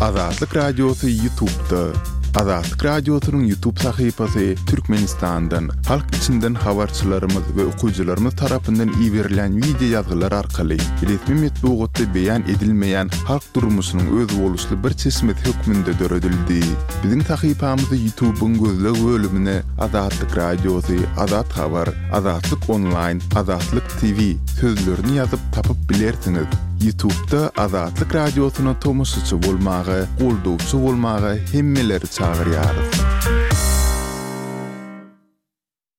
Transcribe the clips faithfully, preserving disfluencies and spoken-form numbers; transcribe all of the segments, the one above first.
Azatlyk Radiosy YouTube'da. Azatlyk Radiosynyň YouTube sahypasy Türkmenistandan, halk içinden habarçylarymyz we okyjylarymyz tarapyndan iberilen wideo ýazgylar arkaly resmi metbugatda beýan edilmeýän halk durmuşynyň özboluşly bir çeşmesi hökmünde döredildi. Biziň sahypamyzy YouTube'yň gözleg bölümine Azatlyk Radiosy, Azat Habar, Azatlyk Online, Azatlyk T V sözlerini ýazyp tapyp bilersiňiz. YouTube'da Azatlyk Radiosyna tomaşaçy bolmaga, goldawçy bolmaga hemmeleri çagyrýarys.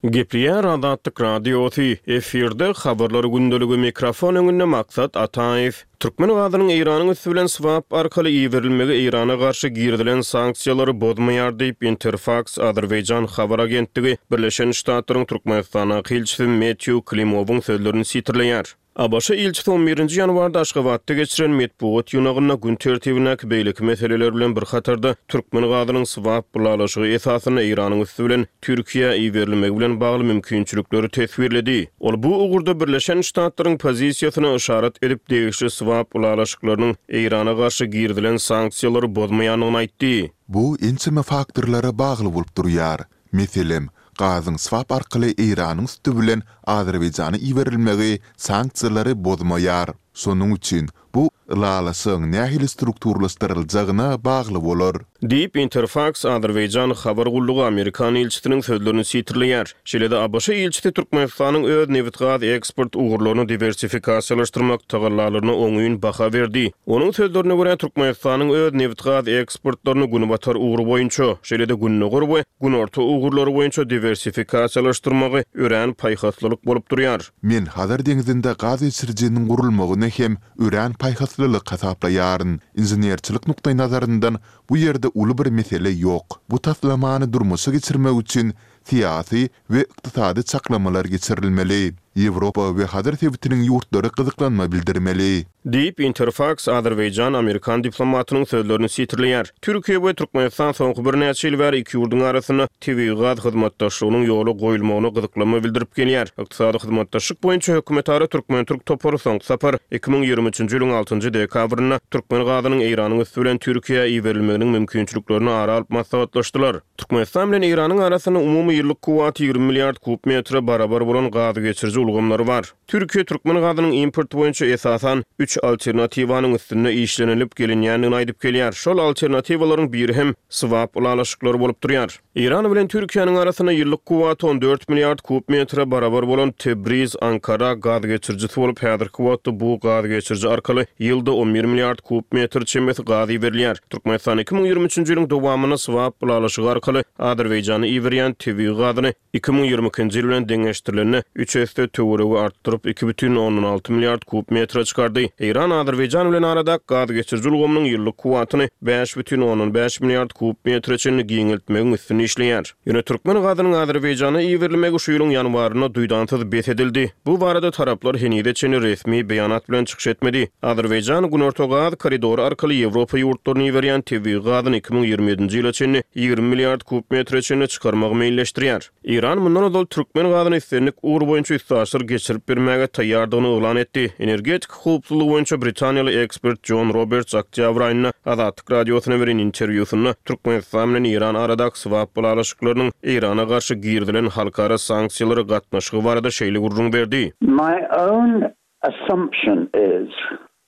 Gepleýär Azatlyk Radiosy, efirde habarlar gündeligi, mikrofon öňünde Maksat Ataýew. Türkmen gazynyň Eýranyň üsti bilen swap arkaly iberilmegi Eýrana garşy girizilen sanksiýalary bozmaýar diýip, Interfaks Azerbaýjan habar agentligi Birleşen Ştatlaryň Türkmenistandaky ilçisi Metýu Klimowyň sözlerini sitirleýär. A B Ş ilçisi on birinji ýanwarda Aşgabatda geçiren metbugat ýygnagynda gün tertibindäki beýleki meseleler bilen bir hatarda türkmen gazynyň swap ylalaşygy esasynda Eýranyň üsti bilen Türkiýä iberilmegi bilen bagly mümkinçilikleri teswirledi. Ol bu ugurda Birleşen Ştatlaryň pozisiýasyna yşarat edip, degişli swap ylalaşyklarynyň Eýrana garşy girizilen sanksiýalary bozmaýandygyny aýtdy. Bu ençeme faktorlara bagly bolup durýar. Meselem, gazyň swap arkaly Eýranyň üsti bilen Azerbaýjana iberilmegi sanksiýalary bozmaýar. Şonuň üçin bu ylalaşygyň nähili strukturlaşdyryljagyna bagly bolar. Diýip, Interfaks Azerbaýjan habar gullugy Amerikan ilçisiniň sözlerini sitirleýär. Şeýle-de A B Ş ilçisi Türkmenistanyň öz nebit-gaz eksport ugurlaryny diwersifikasiýalaşdyrmak tagallalaryna oňyn baha berdi. Onuň sözlerine görä, Türkmenistanyň öz nebit-gaz eksportlaryny günbatar ugry boýunça, şeýle-de gündogar we günorta ugurlary boýunça diwersifikasiýalaşdyrmagy örän paýhaslylyk bolup durýar. Men Hazar deňzinde gaz geçirijiniň gurulmagyny hem örän paýhaslylyk hasaplaýaryn. Inženerçilik nukdaýnazaryndan bu ýerde uly bir mesele ýok. Bu taslamany durmuşa geçirmek üçin syýasy we ykdysady çaklamalar geçirilmeli. Ýewropa we Hazar sebitiniň ýurtlary gyzyklanma bildirmeli. Diýip, Interfaks Azerbaýjan Amerikan diplomatynyň sözlerini sitirleýär. Türkiýe we Türkmenistan soňky birnäçe ýyl bäri iki ýurduň arasynda tebigy gaz hyzmatdaşlygynyň ýola goýulmagyna gyzyklanma bildirip gelýär. Ykdysady hyzmatdaşlyk boýunça hökümetara türkmen-türk topary soňky sapar iki müň ýigrimi üçünji ýylyň altynjy dekabrynda türkmen gazynyň Eýranyň üsti bilen Türkiýä iberilmeginiň mümkinçiliklerini ara alyp maslahatlaşdylar. Türkmenistan bilen Eýranyň arasynda umumy ýyllyk kuwwaty ýigrimi milliard kub metre barabar bolan gaz geçiriji ulgamlary bar. Türkiýe türkmen gazynyň import boýunça esasan üç alternatiwanyň üstünde işlenilip gelinýändigini aýdyp gelýär. Şol alternatiwalaryň biri hem swap ylalaşyklary bolup durýar. Eýran bilen Türkiýäniň arasynda ýyllyk kuwwaty on dört milliard kub metre barabar bolan Tebriz Ankara gaz geçirijisi bolup, häzirki wagtda bu gaz geçiriji arkaly ýylda on bir milliard kub metr çemesi gaz iberilýär. Türkmenistan iki müň ýigrimi üçünji ýylyň dowamynda swap ylalaşygy arkaly Azerbaýjana iberýän tebigy gazyny iki müň ýigrimi ikinji ýyl bilen deňeşdirilende üç esse töweregi artdyryp, iki bütin ondan alty milliard kub metre çykardy. Eýran Azerbaýjan bilen arada gaz geçiriji ulgamynyň ýyllyk kuwwatyny bäş bütin ondan bäş milliard kub metre çenli giňeltmegiň üstünde işleýär. Ýöne türkmen gazynyň Azerbaýjana iberilmegi şu ýylyň ýanwarynda duýdansyz bes edildi. Bu barada taraplar henize çenli resmi beýanat bilen çykyş etmedi. Azerbaýjan Günorta gaz koridory arkaly Ýewropa ýurtlaryna iberýän tebigy gazyny iki müň ýigrimi ýedinji ýyla çenli ýigrimi milliard kub metre çenli çykarmagy meýilleşdirýär. Eýran mundan ozal türkmen gazyny islendik ugur boýunça üstaşyr geçirip bermäge taýýardygyny yglan etdi. Energetika howpsuzlygy boýunça britaniýaly ekspert John Roberts oktýabr aýynda Azatlyk Radiosyna beren interwýusynda Türkmenistan bilen Eýran aradaky swap ylalaşyklarynyň Eýrana garşy girizilen halkara sanksiýalara gatnaşygy barada şeýle gürrüň berdi. My own assumption is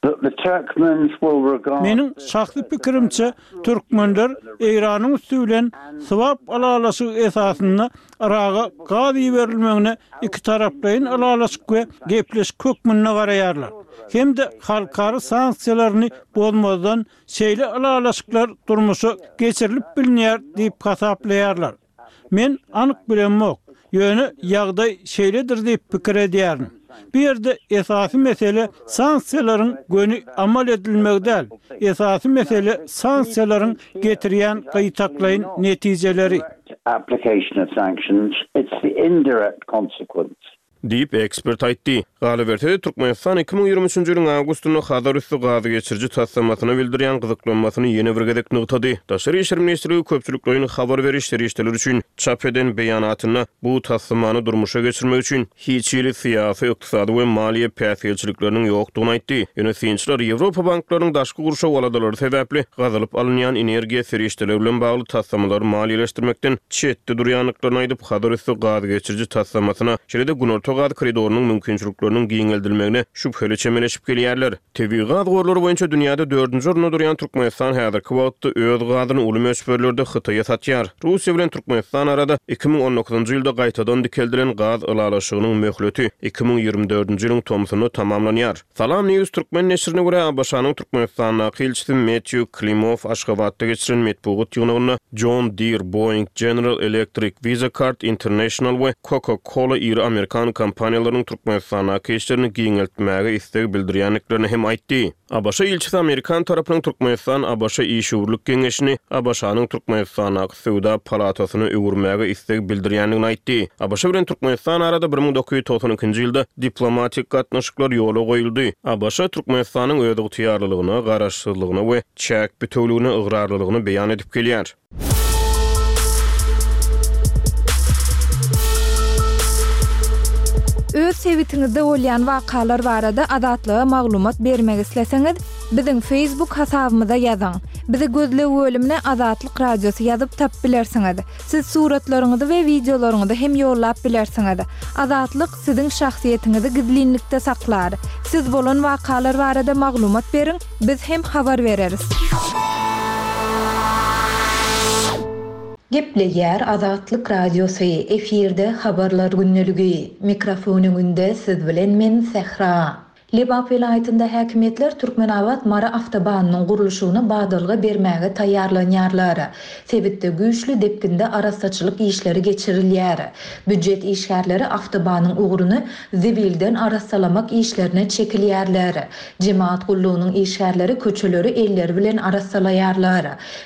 that the Turkmens will regard Meniň şahsy pikirimçe, türkmenler Eýranyň üsti bilen swap ylalaşygy esasynda Yraga gaz iberilmegine iki taraplaýyn ylalaşyk we gepleşik hökmünde garaýarlar. Hem-de halkara sanksiýalaryny bozmazdan şeýle ylalaşyklar durmuşa geçirilip bilinýär diýip hasaplaýarlar. Men anyk bilemok, ýöne ýagdaý şeýledir diýip pikir edýärin. Bu ýerde esasy mesele sanksiýalaryň göni amal edilmegi däl. Esasy mesele sanksiýalaryň getirýän gytaklaýyn netijeleri. Application of sanctions, it's the indirect consequence. Diýip, ekspert aýtdy. Galyberse-de, Türkmenistan iki müň ýigrimi üçünji ýylyň awgustynda Hazar üsti gaz geçiriji taslamasyna bildirýän gyzyklanmasyny ýene bir gezek nygtady. Daşary işler ministrligi köpçülikleýin habar beriş serişdeleri üçin çap eden beýanatynda bu taslamany durmuşa geçirmek üçin hiç hili syýasy, ykdysady we maliýe päsgelçilikleriniň ýokdugyny aýtdy. Ýöne synçylar Ýewropa banklarynyň daşky gurşaw aladalary sebäpli gazylyp alynýan energiýa serişdeleri bilen bagly taslamalary maliýeleşdirmekden çetde durýandyklaryny aýdyp, Hazar üsti gaz geçiriji taslamasyna, şeýle-de Günorta gaz koridorynyň mümkinçilikleriniň giňeldilmegine şübheli çemeleşip gelýärler. Tebigy gaz gorlary boýunça dünýäde dördünji orunda durýan Türkmenistan häzirki wagtda öz gazyny uly möçberlerde Hytaýa satýar. Russiýa bilen Türkmenistan arada iki müň on dokuzynjy ýylda gaýtadan dikeldilen gaz ylalaşygynyň möhleti iki müň ýigrimi dördünji ýylyň tomsunda tamamlanýar. Salam News türkmen neşirine görä, ABŞ-nyň Türkmenistandaky ilçisi Metýu Klimow Aşgabatda geçiren metbugat ýygnagynda John Deere, Boeing, General Electric, Visa Card International we Coca-Cola iri amerikan kompaniýalarynyň Türkmenistandaky işlerini giňeltmäge isleg bildirýändiklerini hem aýtdy. ABŞ ilçisi amerikan tarapynyň Türkmenistan-ABŞ işewürlik geňeşini ABŞ-nyň Türkmenistandaky söwda palatasyna öwürmäge isleg bildirýändigini aýtdy. ABŞ bilen Türkmenistan arada bir müň dokuz ýüz togsan ikinji ýylda diplomatik gatnaşyklar ýola goýuldy. ABŞ Türkmenistanyň özygtyýarlylygyna, garaşsyzlygyna we çäk bütewligine ygrarlylygyny beýan edip gelýär. Öz sebitiňizde bolýan wakalar barada Azatlyga maglumat bermek isleseňiz, biziň Facebook hasabymyza ýazyň. Bizi gözleg bölümine Azatlyk Radiosy ýazyp tap bilersiňiz. Siz suratlaryňyzy we wideolaryňyzy hem ýollap bilersiňiz. Azatlyk siziň şahsyýetiňizi gizlinlikde saklar. Siz bolan wakalar barada maglumat beriň, biz hem habar bereris. Gepleýär Azatlyk Radiosy, efirde habarlar gündeligi. Mikrofon öňünde siz bilen men Sähra. Lebap welaýatynda häkimiýetler Türkmenabat Mary awtobanynyň gurluşygyna badalga bermäge taýýarlanýarlar. Sebitde güýçli depginde arassaçylyk işleri geçirilýär. Býujet işgärleri awtobanyň ugruny zibilden arassalamak işlerine çekilýärler. Jemaat gullugynyň işgärleri köçeleri elleri bilen arassalaýarlar.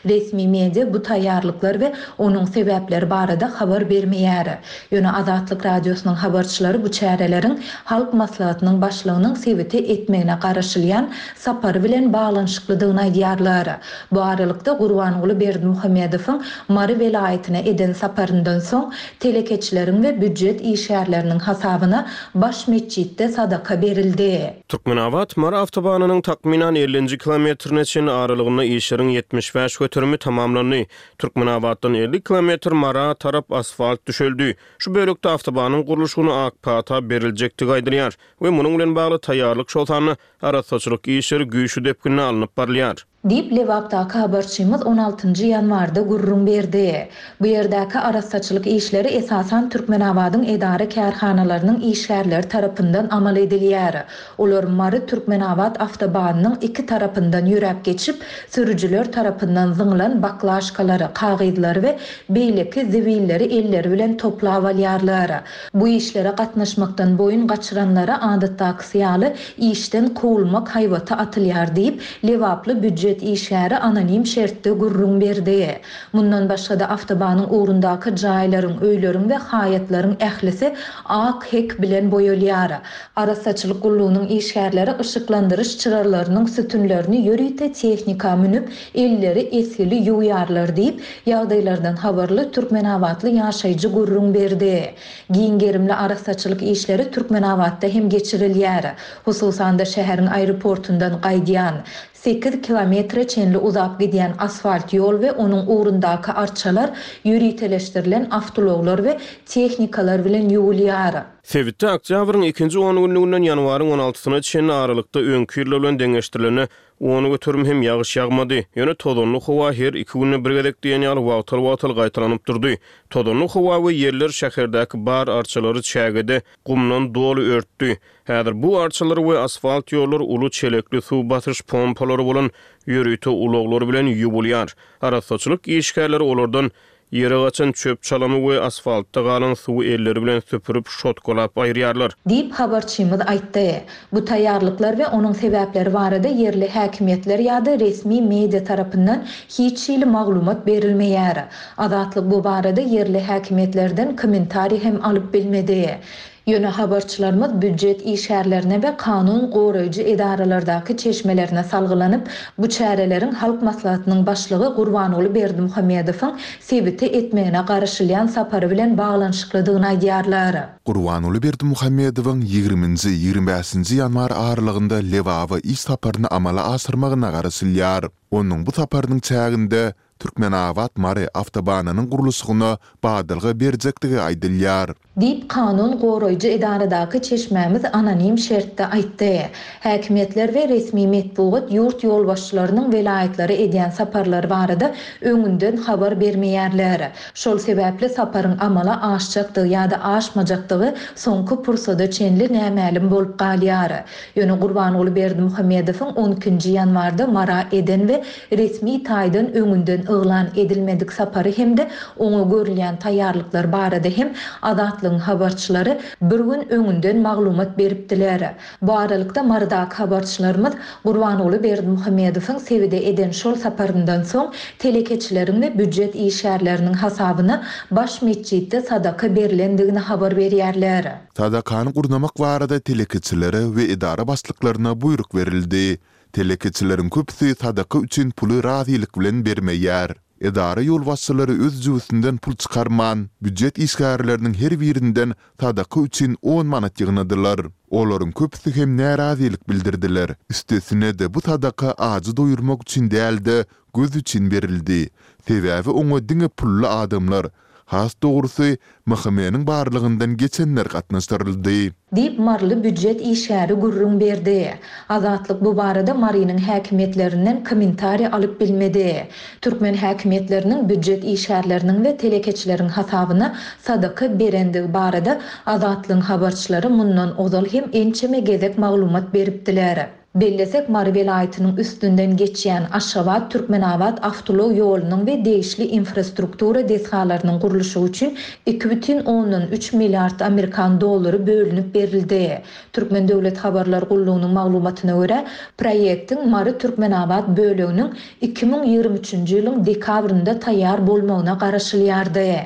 Resmi media bu taýýarlyklar we onuň sebäpleri barada habar bermeýär. Ýöne Azatlyk Radiosynyň habarçylary bu çäreleriň Halk Maslahatynyň başlygynyň sebite etmegine garaşylýan sapary bilen baglanyşyklydygyny aýdýarlar. Bu aralykda Gurbanguly Berdimuhamedowyň Mary welaýatyna eden saparyndan soň telekeçileriň we býujet işgärleriniň hasabyna baş metjitde sadaka berildi. Türkmenabat Mary awtobanynyň takmynan ellinji kilometrine çenli aralygynda işleriň ýetmiş bäş göterimi tamamlandy. Türkmenabatdan elli kilometr Mara tarap asfalt düşeldi. Şu bölekde awtobanyň gurluşygyna ak pata beriljekdigi aýdylýar we munuň bilen bagly taýýarlyk şol sanda arassaçylyk işleri güýçli depginde alnyp barylýar. Diýip Lebapdaky habarçymyz on altynjy ýanwarda gürrüň berdi. Bu ýerdäki arassaçylyk işleri esasan Türkmenabadyň edara kärhanalarynyň işgärleri tarapyndan amal edilýär. Olar Mary Türkmenabat awtobanynyň iki tarapyndan ýöräp geçip, sürüjiler tarapyndan zyňlan baklaşkalary, kagyzlary we beýleki zibilleri elleri bilen toplap alýarlar. Bu işlere gatnaşmakdan boýun gaçyranlara adatdakysy ýaly işden kowulmak haýbaty atylýar diýip, Lebaply býujet işgäri anonim şertde gürrüň berdi. Mundan başga-da awtobanyň ugrundaky jaýlaryň, öýleriň we haýatlaryň ählisi ak hek bilen boýalýar. Arassaçylyk gullugynyň işgärleri yşyklandyryş çyralarynyň sütünlerini ýörite tehnika münüp, elleri esgili ýuwýarlar diýip, ýagdaýlardan habarly Türkmenabatly ýaşaýjy gürrüň berdi. Giň gerimli arassaçylyk işleri Türkmenabatda hem geçirilýär. Hususan-da şäheriň aeroportundan gaýdýan sekiz kilometre çenli uzap gidýän asfalt ýol we onuň ugrundaky arçalar ýöriteleşdirilen awtoulaglar we tehnikalar bilen ýuwulýar. Sebitde oktýabryň ikinji on günlüginden ýanwaryň on altysyna çenli aralykda öňki ýyllar bilen deňeşdirilende on göterim hem ýagyş ýagmady. Ýöne tozanly howa her iki günde bir gezek diýen ýaly wagtal-wagtal gaýtalanyp durdy. Tozanly howa we ýerler şäherdäki bar arçalary çägede gumdan doly örtdi. Häzir bu arçalar we asfalt ýollar uly çelekli suw basyş pompalary bolan ýörite ulaglar bilen ýuwulýar. Arassaçylyk işgärleri olardan ýere gaçan çöp çalamy we asfaltda galan suwy elleri bilen süpürip şotkalap aýyrýarlar. Diýip habarçymyz aýtdy. Bu taýýarlyklar we onuň sebäpleri barada ýerli häkimiýetler ýa-da resmi media tarapyndan hiç hili maglumat berilmeýär. Azatlyk bu barada ýerli häkimiýetlerden kommentariý hem alyp bilmedi. Ýöne habarçylarymyz býujet işgärlerine we kanun goraýjy edaralardaky çeşmelerine salgylanyp, bu çäreleriň Halk Maslahatynyň Başlygy Gurbanguly Berdimuhamedowyň sebite etmegine garaşylýan sapary bilen baglanyşyklydygyny aýdýarlar. Gurbanguly Berdimuhamedowyň ýigriminji, ýigrimi bäşinji ýanwar aralygynda Lebaba iş saparyny amala aşyrmagyna garaşylýar. Onuň bu saparynyň çäginde Türkmenabat-Mary awtobanynyň gurluşygyna badalga berjekdigi aýdylýar. Diýip, kanun goraýjy edaradaky çeşmämiz anonim şertde aýtdy. Häkimiýetler we resmi metbugat ýurt ýolbaşçylarynyň welaýatlara edýän saparlary barada öňünden habar bermeýärler. Şol sebäpli saparyň amala aşjakdygy ýa-da aşmajakdygy soňky pursada çenli nämälim bolup galýar. Ýöne Gurbanguly Berdimuhamedowyň on ikinji ýanwarda Mara eden we resmi taýdan öňünden yglan edilmedik sapary hem-de oňa görülýän taýýarlyklar barada hem Azatlygyň habarçylary bir gün öňünden maglumat beripdiler. Bu aralykda Marydaky habarçylarymyz Gurbanguly Berdimuhamedowyň sebide eden şol saparyndan soň telekeçileriň we býujet işgärleriniň hasabyna baş metjitde sadaka berlendigini habar berýärler. Sadakany gurnamak barada telekeçilere we edara başlyklaryna buýruk berildi. Telekeçileriň köpüsi sadaka üçin puly razylyk bilen bermeýär. Edara ýolbaşçylary öz jübüsinden pul çykarman, býujet işgärleriniň her birinden sadaka üçin on manat ýygnadylar. Olaryň köpüsi hem närazylyk bildirdiler. Üstesine-de bu sadaka ajy doýurmak üçin däl-de, göz üçin berildi. Sebäbi oňa diňe pully adamlar, has dogrusy, M H M-niň barlygyndan geçenler gatnaşdyryldy. Diýip, maryly býujet işgäri gürrüň berdi. Azatlyk bu barada Marynyň häkimiýetlerinden kommentariý alyp bilmedi. Türkmen häkimiýetleriniň býujet işgärleriniň we telekeçileriň hasabyna sadaka berendigi barada Azatlygyň habarçylary mundan ozal hem ençeme gezek maglumat beripdiler. Bellesek, Mary welaýatynyň üstünden geçýän Aşgabat-Türkmenabat awtoulag ýolunyň we degişli infrastruktura desgalarynyň gurluşygy üçin iki bütin ondan üç milliard amerikan dollary bölünip berildi. Türkmen döwlet habarlar gullugynyň maglumatyna görä, proýektiň Mary-Türkmenabat böleginiň iki müň ýigrimi üçünji ýylyň dekabrynda taýýar bolmagyna garaşylýardy.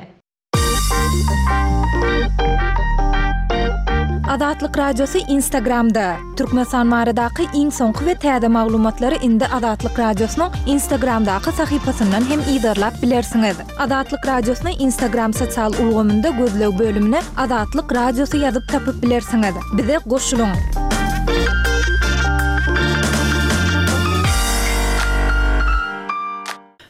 Azatlyk Radiosy Instagramda. Türkmenistan baradaky iň soňky we täze maglumatlary indi Azatlyk Radiosynyň Instagramdaky sahypasyndan hem yzarlap bilersiňiz. Azatlyk Radiosyny Instagram sosial ulgamynda gözleg bölümine Azatlyk Radiosy ýazyp tapyp bilersiňiz. Bize goşulyň.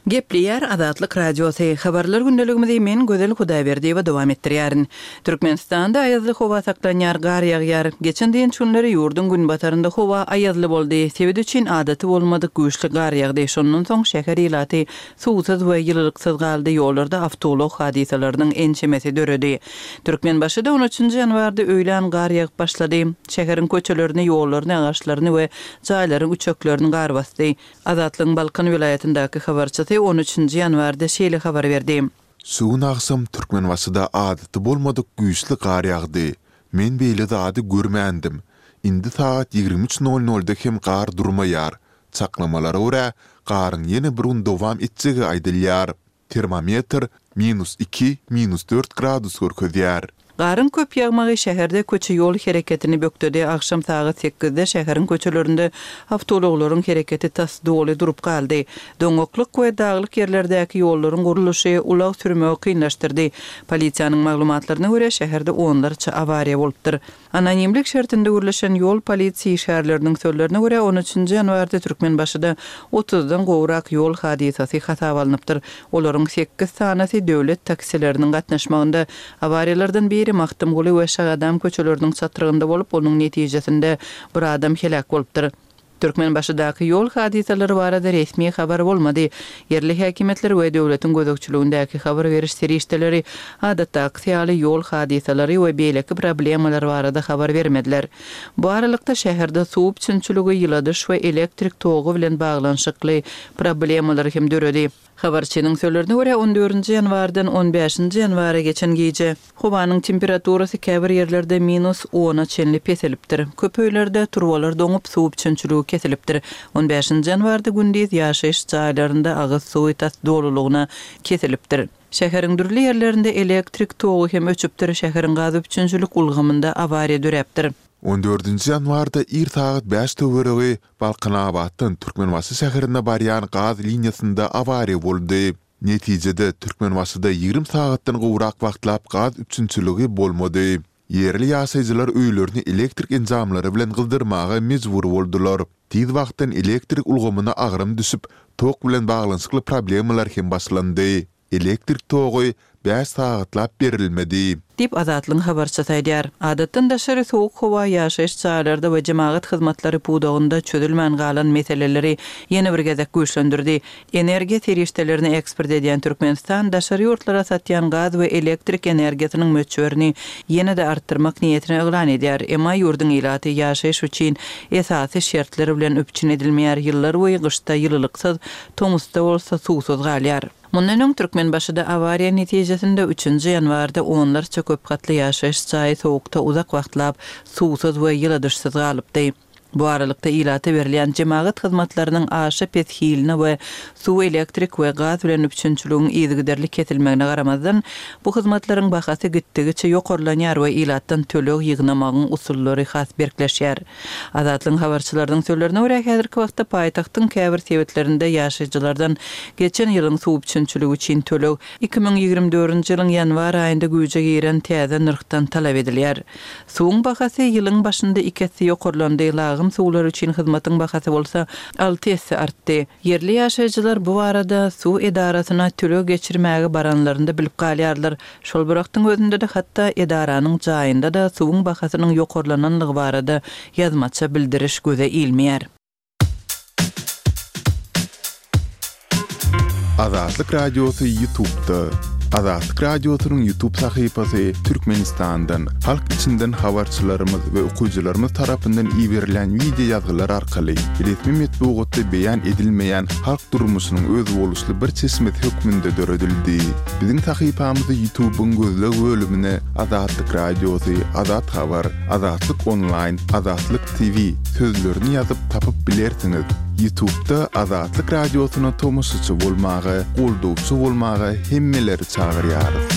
Gepleýär Azatlyk Radiosy. Habarlar gündeligimizi men Gözel Hudaýberdiýewa dowam etdirýärin. Türkmenistanda aýazly howa saklanýar, gar ýagýar. Geçen dynç günleri ýurduň günbatarynda howa aýazly boldy. Sebit üçin adaty bolmadyk güýçli gar ýagdy. Şondan soň şäher ilaty suwsuz we ýylylyksyz galdy. Ýollarda awtoulag hadysalarynyň ençemesi döredi. Türkmenbaşyda on üçünji ýanwarda öýlän gar ýagyp başlady. Şäheriň köçelerini, ýollaryny, agaçlaryny we jaýlaryň üçeklerini gar basdy. Azatlygyň Balkan welaýatyndaky habarçysy on üçünji ýanwarda şeýle habar berdi. Şu gün agşam Türkmenbaşyda adaty bolmadyk güýçli gar ýagdy. Men beýle zady görmändim. Indi sagat ýigrimi üç nol nolda hem gar durmaýar. Çaklamalara görä, garyň ýene bir gün dowam etjegi aýdylýar. Termometr minus iki, minus dört gradus görkezýär. Garyň köp ýagmagy şäherde köçe ýol hereketini bökdedi. Agşam sagat sekizde şäheriň köçelerinde awtoulaglaryň hereketi tas doly durup galdy. Doňaklyk we daglyk ýerlerdäki ýollaryň gurluşy ulag sürmegi kynlaşdyrdy. Polisiýanyň maglumatlaryna görä, şäherde onlarça awariýa bolupdyr. Anonimlik şertinde gürleşen ýol polisiýa işgärleriniň sözlerine görä, on üçünji ýanwarda Türkmenbaşyda otuzdan gowrak ýol hadysasy hasaba alnypdyr. Olaryň sekiz sanasy döwlet taksileriniň gatnaşmagynda. Awariýalardan biri Magtymguly we Şagadam köçeleriniň çatrygynda bolup, onuň netijesinde bir adam heläk bolupdyr. Türkmenbaşydaky ýol hadysalary barada resmi habar bolmady. Ýerli häkimiýetler we döwletiň gözegçiligindäki habar beriş serişdeleri adatdaky ýaly ýol hadysalary we beýleki problemalar barada habar bermediler. Bu aralykda şäherde suw üpjünçiligi, ýyladyş we elektrik togy bilen baglanyşykly problemalar hem döredi. Habarçynyň sözlerine görä, on dördünji ýanwardan on bäşinji ýanwara geçen gije howanyň temperaturasy käbir ýerlerde minus ona çenli peselipdir. Köp öýlerde turbalar doňup, suw üpjünçiligi kesilipdir. On bäşinji ýanwarda gündiz ýaşaýyş jaýlarynda agyz suwy tas dolulygyna kesilipdir. Şäheriň dürli ýerlerinde elektrik togy hem öçüpdir, şäheriň gaz üpjünçilik ulgamynda awariýa döräpdir. On dördünji ýanwarda ir sagat bäş töweregi Balkanabatdan Türkmenbaşy şäherine barýan gaz liniýasynda awariýa boldy. Netijede, Türkmenbaşyda ýigrimi sagatdan gowrak wagtlap gaz üpjünçiligi bolmady. Ýerli ýaşaýjylar öýlerini elektrik enjamlary bilen gyzdyrmaga mejbur boldular. Tiz wagtdan elektrik ulgamyna agram düşüp, tok bilen baglanyşykly problemalar hem başlandy. Elektrik togy bäş sagatlap berilmedi. Diýip, Azatlygyň habarçysy aýdýar. Adatdan daşary sowuk howa ýaşaýyş jaýlarda we jemagat hyzmatlary pudagynda çözülmän galan meseleleri ýene bir gezek güýçlendirdi. Energiýa serişdelerini eksport edýän Türkmenistan daşary ýurtlara satýan gaz we elektrik energiýasynyň möçberini ýene-de artdyrmak niýetini yglan edýär. Emma ýurduň ilaty ýaşaýyş üçin esasy şertler bilen üpjün edilmeýär, ýyllarboýy gyşda ýylylyksyz, tomusda bolsa suwsuz galýar. Mundan öň Türkmenbaşyda awariýa netijesinde üçünji ýanwarda onlarça köp gatly ýaşaýyş jaýy sowukda uzak wagtlap suwsuz we ýyladyşsyz galypdy. Bu aralykda ilata berilýän jemagat hyzmatlarynyň aşa pes hiline we suw, elektrik we gaz bilen üpjünçiligiň yzygiderli kesilmegine garamazdan, bu hyzmatlaryň bahasy gitdigiçe ýokarlanýar we ilatdan töleg ýygnamagyň usullary has berkleşýär. Azatlygyň habarçylarynyň sözlerine görä, häzirki wagtda paýtagtyň käbir sebitlerinde ýaşaýjylardan geçen ýylyň suw üpjünçiligi üçin töleg iki müň ýigrimi dördünji ýylyň ýanwar aýynda güýje giren täze nyrhdan talap edilýär. Suwuň bahasy ýylyň başynda iki esse ýokarlandy, lagym suwlary üçin hyzmatyň bahasy bolsa alty esse artdy. Ýerli ýaşaýjylar bu barada suw edarasyna töleg geçirmäge baranlarynda bilip galýarlar. Şol bir wagtyň özünde-de hatda edaranyň jaýynda-da suwuň bahasynyň ýokarlananlygy barada ýazmaça bildiriş göze ilmeýär. Azatlyk Radiosy YouTube'da. Azatlyk Radiosynyň YouTube sahypasy Türkmenistandan, halk içinden habarçylarymyz we okyjylarymyz tarapyndan iberilýän wideo ýazgylar arkaly resmi metbugatda beýan edilmeýän halk durmuşynyň özboluşly bir çeşmesi hökmünde döredildi. Biziň sahypamyzy YouTube-yň gözleg bölümine Azatlyk Radiosy, Azat Habar, Azatlyk Onlaýn, Azatlyk T V sözlerini ýazyp tapyp bilersiňiz. YouTube-da Azatlyk Radiosyna tomaşaçy bolmaga, goldawçy bolmaga hemmeleri çagyrýarys.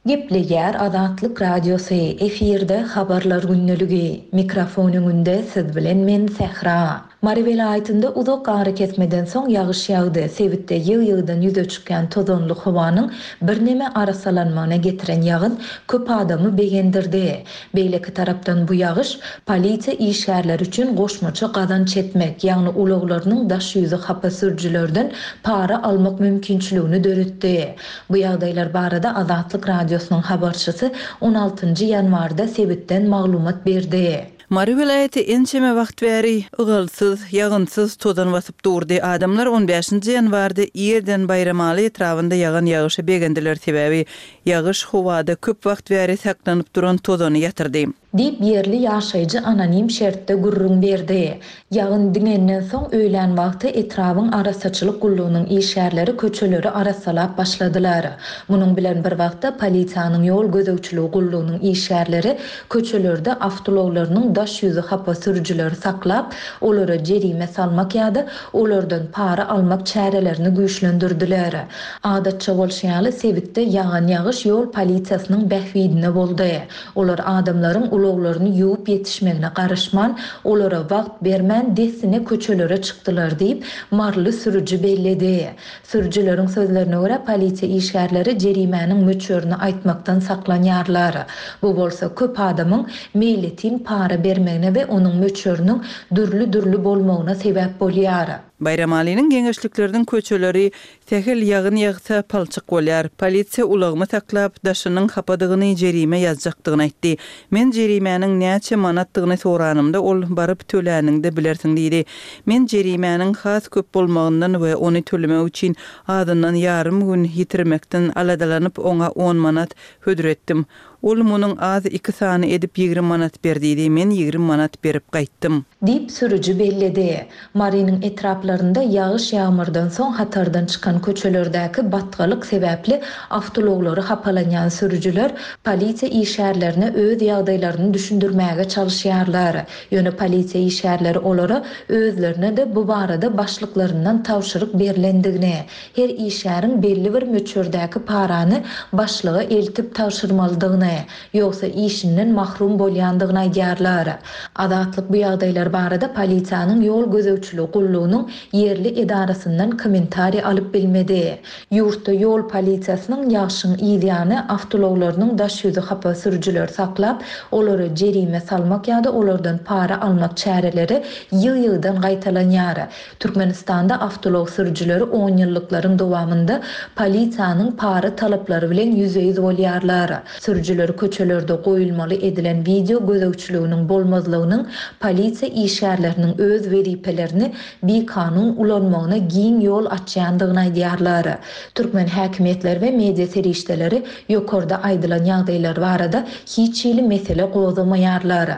Gepleýär Azatlyk Radiosy, efirde Habarlar gündeligi. Mikrofon öňünde siz bilen men Sähra. Mary welaýatynda uzak arakesmeden soň ýagyş ýagdy. Sebitde ýygy-ýygydan ýüze çykýan tozanly howanyň birneme arasalanmagyna getiren ýagyn köp adamy begendirdi. Beýleki tarapdan bu ýagyş polisiýa işgärleri üçin goşmaça gazanç etmek, ýagny ulaglarynyň daş ýüzi hapa sürüjilerden para almak mümkinçiligini döretdi. Bu ýagdaýlar barada Azatlyk Radiosynyň habarçysy on altynjy ýanwarda sebitden maglumat berdi. Mary welaýaty ençeme wagt bäri ygalsyz, ýagynsyz tozan basyp durdy. Adamlar on bäşinji ýanwarda irden Baýramaly etrabynda ýagan ýagyşa begendiler, sebäbi ýagyş howada köp wagt bäri saklanyp duran tozany ýatyrdy. Diýip ýerli ýaşaýjy anonim şertde gürrüň berdi. Ýagyn diňenden soň öýlän wagty etrabyň arassaçylyk gullugynyň işgärleri köçeleri arassalap başladylar. Munuň bilen bir wagtda polisiýanyň ýol gözegçiligi gullugynyň işgärleri köçelerde awtoulaglarynyň daş ýüzi hapa sürüjileri saklap, olara jerime salmak ýa-da olardan para almak çärelerini güýçlendirdiler. Adatça bolşy ýaly sebitde ýagan ýagyş ýol polisiýasynyň bähbidine boldy. Olar adamlaryň ulaglaryny ýuwup ýetişmegine garaşman, olara wagt bermän dessine köçelere çykdylar diýip, Marly sürüji belledi. Sürüjileriň sözlerine görä polisiýa işgärleri jerimäniň möçberini aýtmakdan saklanýarlar. Bu bolsa köp adamyň meýletin para bermegine we onuň möçberiniň dürli-dürli bolmagyna sebäp bolýar. Baýramalynyň geňeşlikleriniň köçeleri sähel ýagyn ýagsa palçyk bolýar. Polisiýa ulagymy saklap, daşynyň hapadygyny jerime ýazjakdygyny aýtdy. Men jerimäniň näçe manatdygyny soranymda ol baryp töläniňde bilersiň diýdi. Men jerimäniň has köp bolmagyndan we ony tölemek üçin azyndan ýarym gün ýitirmekden aladalanyp oňa on manat hödür etdim. Ol munuň az iki sany edip ýigrimi manat ber diýdi. Men ýigrimi manat berip gaýtdym. Diýip, sürüji belledi. Marynyň etraplarynda ýagyş-ýagmyrdan soň hatardan çykan köçelerdäki batgalyk sebäpli awtoulaglary hapalanýan sürüjiler polisiýa işgärlerine öz ýagdaýlaryny düşündirmäge çalyşýarlar. Ýöne polisiýa işgärleri olara özlerine-de bu barada başlyklaryndan tabşyryk berlendigini, her işgäriň belli bir möçberdäki parany başlyga eltip tabşyrmalydygyny, ýogsa işinden mahrum bolýandygyny aýdýarlar. Azatlyk bu ýagdaýlar barada polisiýanyň ýol gözegçiligi gullugynyň ýerli edarasyndan kommentariý alyp bilmedi. Ýurtda ýol polisiýasynyň ýagşyň yzýany awtoulaglarynyň daş ýüzi hapa sürüjileri saklap, olara jerime salmak ýa-da olardan para almak çäreleri ýygy-ýygydan gaýtalanýar. Türkmenistanda awtoulag sürüjileri onýyllyklaryň dowamynda polisiýanyň para talaplary bilen ýüzbe-ýüz bolýarlar. Sürüjiler köçelerde goýulmaly edilen wideo gözegçiliginiň bolmazlygynyň polisiýa işgärleriniň öz wezipelerini bikanun ulanmagyna giň ýol açýandygyny aýdýarlar. Türkmen häkimiýetleri we media serişdeleri ýokarda aýdylan ýagdaýlar barada hiç hili mesele gozgamaýarlar.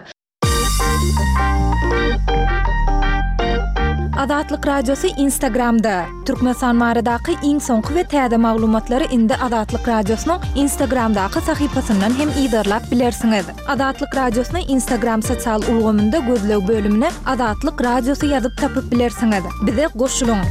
Azatlyk Radiosy Instagramda! Türkmenistan baradaky iň soňky we täze maglumatlary indi Azatlyk Radiosynyň Instagramdaky sahypasyndan hem yzarlap bilersiňiz. Azatlyk Radiosyny Instagram sosial ulgamynda gözleg bölümine Azatlyk Radiosy ýazyp tapyp bilersiňiz. Bize goşulyň!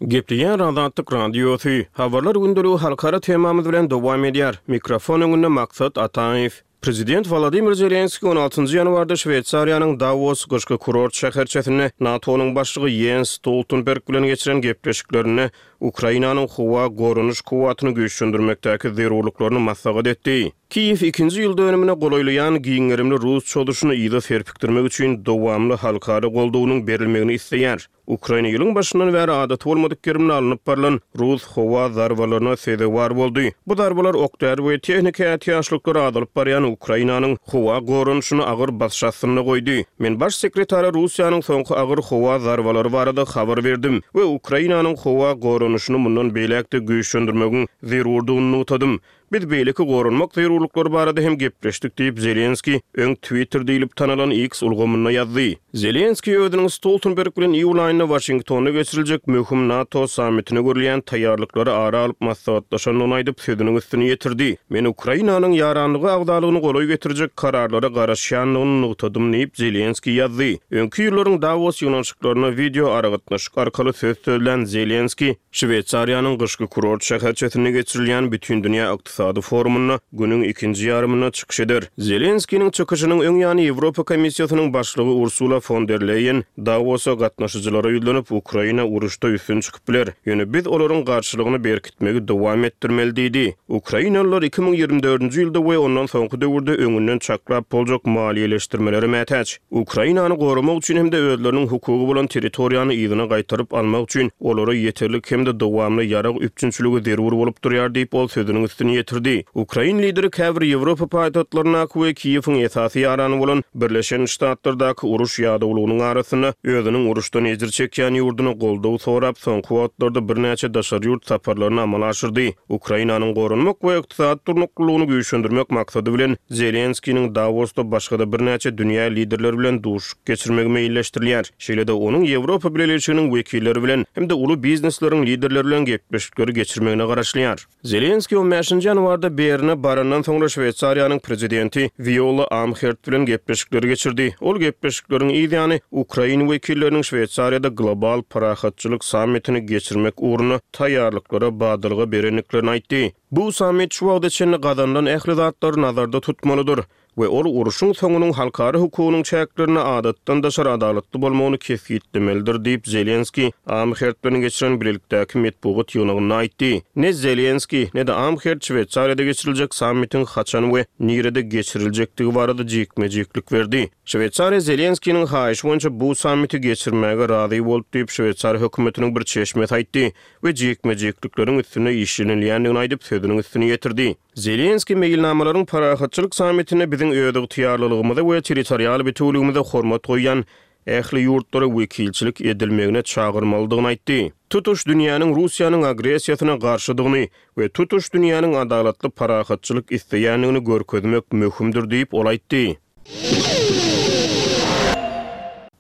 Gepleýär Azatlyk Radiosy. Habarlar gündeligi halkara temamyz bilen dowam edýär. Mikrofon öňünde Maksat Ataýew. Prezident Wolodymyr Zelenskiý on altynjy ýanwarda Şweýsariýanyň Dawos gyşky kurort şäherçesinde NATO-nyň başlygy Ýens Stoltenberg bilen geçiren gepleşiklerinde Ukrainanyň howa goranyş kuwwatyny güýçlendirmekdäki zerurlyklaryny maslahat etdi. Kiýew ikinji ýyl dönümine golaýlaýan giň gerimli rus çozuşyny yza serpikdirmek üçin dowamly halkara goldawynyň berilmegini isleýär. Ukraina ýylyň başyndan bäri adaty bolmadyk gerimde alnyp barlan rus howa zarbalaryna sezewar boldy. Bu zarbalar ok-däri we tehniki ätiýaçlyklary azalyp barýan Ukrainanyň howa goranyşyny agyr basyş astynda goýdy. Men Baş sekretara Russiýanyň soňky agyr howa zarbalary barada habar berdim we Ukrainanyň howa goranyşyny mundan beýläk-de güýçlendirmegiň zerurdygyny nygtadym. Biz beýleki goranmak zerurlyklary barada hem gepleşdik diýip, Zelenskiý öň Twitter diýlip tanalan X ulgamynda ýazdy. Zelenskiý özüniň Stoltenberg bilen iýul aýynda Waşingtonda geçiriljek möhüm NATO sammitine görülýän taýýarlyklary ara alyp maslahatlaşandygyny aýdyp, sözüniň üstüni ýetirdi. Men Ukrainanyň ýaranlyga agzalygyny golaý getirjek kararlara garaşýandygyny nygtadym diýip, Zelenskiý ýazdy. Öňki ýyllaryň Dawos ýygnanyşyklarynda wideo aragatnaşyk arkaly söz sözlän Zelenskiý, Şweýsariýanyň gyşky kurort şäherçesinde geçirilýän Bütindünýä ykdysady forumynda günüň ikinji ýarymynda çykyş eder. Zelenskiniň çykyşynyň öň ýany Ýewropa Komissiýasynyň başlygy Ursula fon der Leýen Dawosa gatnaşyjylara ýüzlenip, Ukraina uruşda üstün çykyp biler, ýöne biz olaryň garşylygyny berkitmegi dowam etdirmeli diýdi. Ukrainalylar iki müň ýigrimi dördünji ýylda we ondan soňky döwürde öňünden çaklap boljak maliýeleşdirmelere mätäç. Ukrainany goramak üçin hem-de özleriniň hukugy bolan territoriýany yzyna gaýtaryp almak üçin olara ýeterlik hem-de dowamly ýarag üpjünçiligi zerur bolup durýar diýip, ol sözüniň üstüni ýetirdi. Ukrain lideri käbir Ýewropa paýtagtlaryndaky we Kiýewiň esasy ýarany bolan Birleşen Ştatlardaky uruş ýadawlygynyň arasynda özüniň uruşdan ejir çekýän ýurduna goldaw sorap, soňky wagtlarda birnäçe daşary ýurt saparlaryny amala aşyrdy. Ukrainanyň goranmak we ykdysady durnuklylygyny güýçlendirmek maksady bilen Zelenskiniň Dawosda başga-da birnäçe dünýä liderleri bilen duşuşyk geçirmegi meýilleşdirilýär. Şeýle-de onuň Ýewropa Bileleşiginiň wekilleri bilen hem-de uly biznesleriň liderleri bilen gepleşikleri geçirmegine garaşylýar. Zelenskiý on bäşinji ýanwarda Berne barandan soňra Şweýsariýanyň prezidenti Wiola Amherd bilen gepleşikleri geçirdi. Ol gepleşikleriň yz ýany ukrain wekilleriniň Şweýsariýada global parahatçylyk sammitini geçirmek ugrunda taýýarlyklara badalga berendiklerini aýtdy. Bu sammit şu wagta çenli gazanylan ähli zatlary nazarda tutmalydyr we ol urşuň soňunyň halkara hukugynyň çäklerinde adatdan daşary adalatly bolmagyny kesgitlemelidir diýip, Zelenskiý Amherd bilen geçiren bilelikdäki metbugat ýygnagynda aýtdy. Ne Zelenskiý, ne-de Amherd Şweýsariýada geçiriljek sammitiň haçan we nirede geçiriljekdigi barada jikme-jiklik berdi. Şweýsariýa Zelenskiniň haýyşy boýunça bu sammiti geçirmäge razy boldy diýip, şweýsar hökümetiniň bir çeşmesi aýtdy we jikme-jiklikleriň üstünde işlenilýändigini aýdyp, sözüniň üstüni ýetirdi. Zelenskiý meýilnamalaryň parahatçylyk sammitinde biziň özygtyýarlylygymyza we territorial bitewüligimize hormat goýýan ähli ýurtlara wekilçilik edilmegine çagyrmalydygyny aýtdy. Tutuş dünýäniň Russiýanyň agressiýasyna garşydygyny we tutuş dünýäniň adalatly parahatçylyk isleýändigini görkezmek möhümdir diýip, ol aýtdy.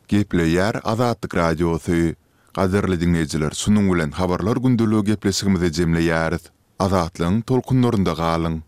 Gepleýär Azatlyk Radiosy. Gadyrly diňleýjiler, şunuň bilen Habarlar gündeligi gepleşigimizi jemleýäris. Azatlygyň tolkunlarynda galyň!